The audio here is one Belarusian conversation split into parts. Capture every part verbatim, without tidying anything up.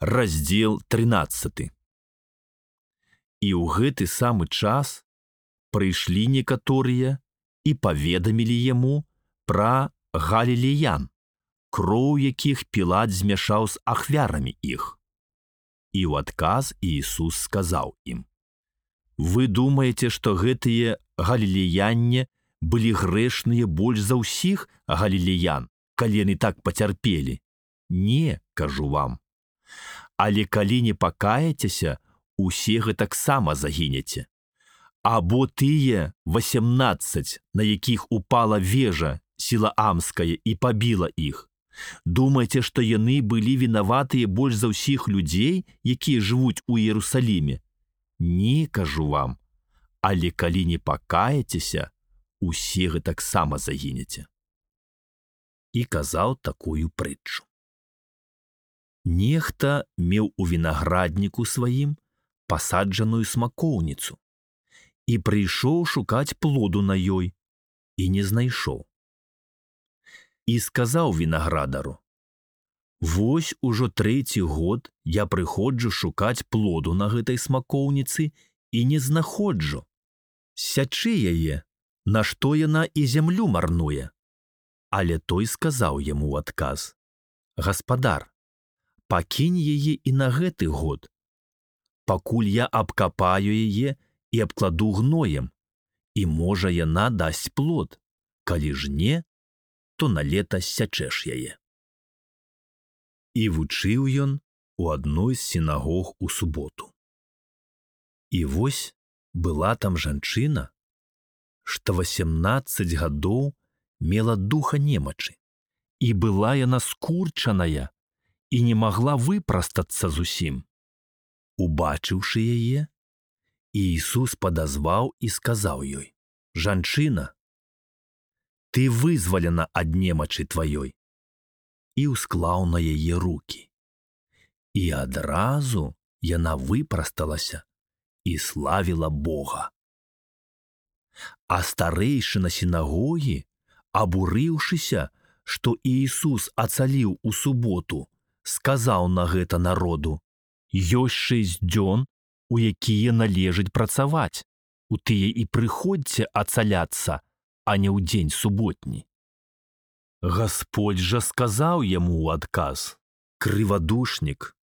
раздзел трынаццаты. І ў гэты самы час прыйшлі некаторыя і паведамілі яму пра галілеян, кроў якіх Пілат змяшаў з ахвярамі іх. І ў адказ Іісус сказаў ім: «Вы думаеце, што гэтыя галілеянне былі грэшныя больш за ўсіх галілеян, калі яны так пацярпелі? Не, кажу вам. Але калі не пакаецеся, усе гэтаксама загінеце. Або тыя васямнаццаць, на якіх упала вежа сілаамская і пабіла іх, думаеце, што яны былі вінаватыя больш за ўсіх людзей, якія жывуць у Іерусаліме? Не, кажу вам. Але калі не пакаецеся, усе гэтаксама загінеце». І казаў такую прытчу. Нехта меў у вінаградніку сваім пасаджаную смакоўніцу і прыйшоў шукаць плоду на ёй і не знайшоў. І сказаў вінаградару: «Вось ужо трэці год я прыходжу шукаць плоду на гэтай смакоўніцы і не знаходжу. Сячы яе, нашто яна і зямлю марнуе». Але той сказаў яму ў адказ: «Гаспадар, пакінь яе і на гэты год, пакуль я абкапаю яе і абкладу гноем, і можа яна дасць плод, калі ж не, то на лета сячэш яе». І вучыў ён у адной з сінагог у суботу. І вось была там жанчына, што васямнаццаць гадоў мела духа немачы, і была яна скурчаная і не магла выпрастацца зусім. Убачыўшы яе, Іісус падазваў і сказаў ёй: «Жанчына, ты вызвалена ад немачы тваёй», і ўсклаў на яе рукі. І адразу яна выпрасталася і славіла Бога. А старэйшына сінагогі, абурыўшыся, што Іісус ацаліў у суботу, сказаў на гэта народу: «Ёсць шэсць дзён, у якія належыць працаваць, у тыя і прыходзьце ацаляцца, а не ў дзень суботні». Гасподзь жа сказаў яму ў адказ: «Крывадушнік,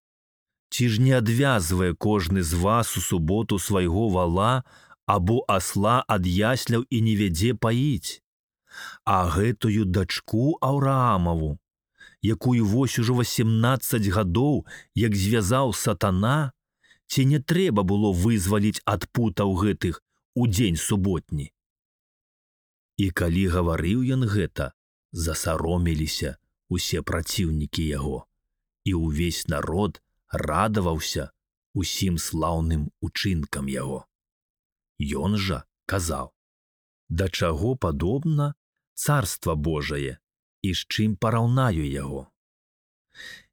ці ж не адвязвае кожны з вас у суботу свайго вала або асла ад ясляў і не вядзе паіць? А гэтую дачку Аўраамаву, якую вось ужо васямнаццаць гадоў, як звязаў сатана, ці не трэба было вызваліць ад путаў гэтых у дзень суботні?» І калі гаварыў ён гэта, засаромеліся усе праціўнікі яго, і ўвесь народ радаваўся усім слаўным учынкам яго. Ён жа казаў: «Да чаго падобна царства Божае, і з чым параўнаю яго?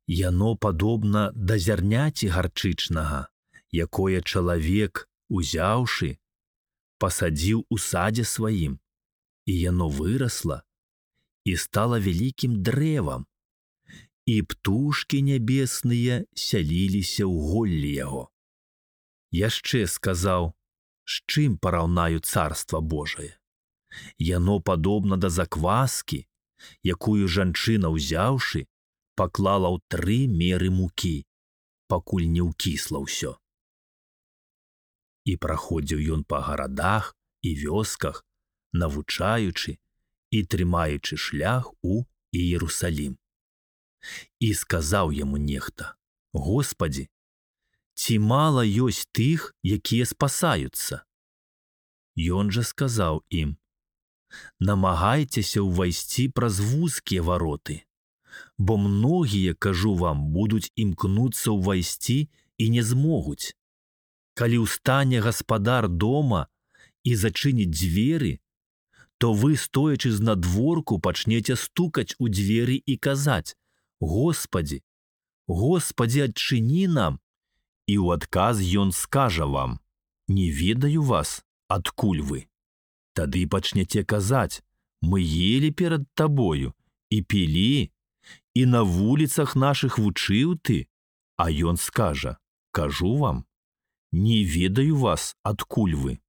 Яно падобна да зярняці гарчычнага, якое чалавек, узяўшы, пасадзіў у садзе сваім, і яно вырасла і стала вялікім дрэвам, і птушкі нябесныя сяліліся ў голлі яго». Яшчэ сказаў: «З чым параўнаю царства Божае? Яно падобна да закваскі, якую жанчына, ўзяўшы, паклала ў тры меры мукі, пакуль не ўкісла ўсё». І праходзіў ён па гарадах і вёсках, навучаючы і трымаючы шлях у Іерусалім. І сказаў яму нехта: «Господі, ці мала ёсць тых, якія спасаюцца?» Ён жа сказаў ім: «Намагайцеся ўвайсці праз вузкія вароты, бо многія, кажу вам, будуць імкнуцца ўвайсці і не змогуць. Калі ўстане гаспадар дома і зачыніць дзверы, то вы, стоячы знадворку, пачнеце стукаць у дзверы і казаць: Господі, Господі, адчыні нам. І ў адказ ён скажа вам: не ведаю вас, адкуль вы. Тады пачнеце казаць: мы елі перад табою і пілі, і на вуліцах нашых вучыў ты, А ён скажа: кажу вам, не ведаю вас, адкуль вы.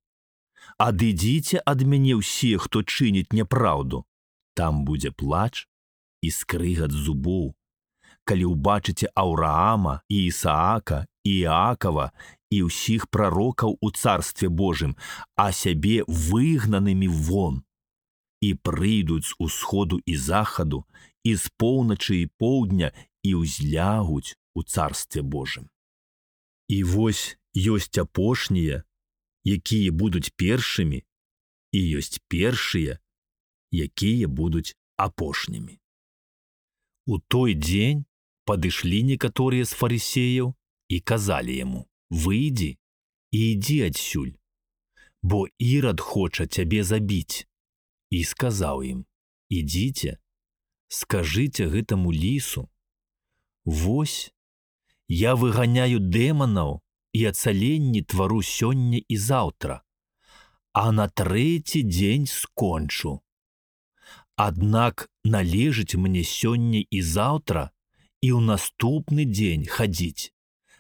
Адыдзіце ад мяне ўсе, хто чыніць няпраўду. Там будзе плач і скрыгат зубоў, калі ўбачыце Аўраама і Ісаака і Іакава і ўсіх прарокаў у Царстве Божым, а сябе выгнанымі вон. І прыйдуць з усходу і захаду, і з поўначы і поўдня, і ўзлягуць у Царстве Божым. І вось ёсць апошнія, якія будуць першымі, і ёсць першыя, якія будуць апошнімі. У той дзень падышлі некаторыя з фарысеяў і казалі яму: выйдзі і ідзі адсюль, бо Ірад хоча цябе забіць. І сказаў ім: ідзіце, скажыце гэтаму лісу: вось, я выганяю дэманаў і ацаленні твару сёння і заўтра, а на трэці дзень скончу. Аднак належыць мне сёння і заўтра і ў наступны дзень хадзіць,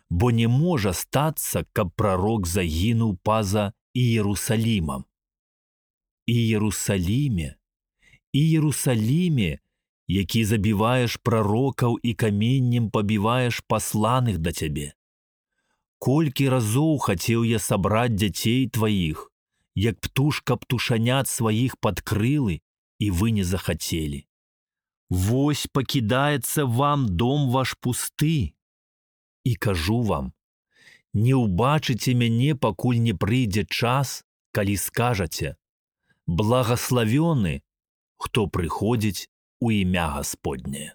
бо не можа стацца, каб прарок загінуў па-за Іерусалімам. Іерусаліме, Іерусаліме, які забіваеш прарокаў і каменнем пабіваеш пасланых да цябе. Колькі разоў хацеў я сабраць дзяцей тваіх, як птушка птушанят сваіх пад крылы, і вы не захацелі. Вось пакідаецца вам дом ваш пусты. І кажу вам, не ўбачыце мяне, пакуль не прыйдзе час, калі скажаце: благаславёны, хто прыходзіць у імя Гасподняе.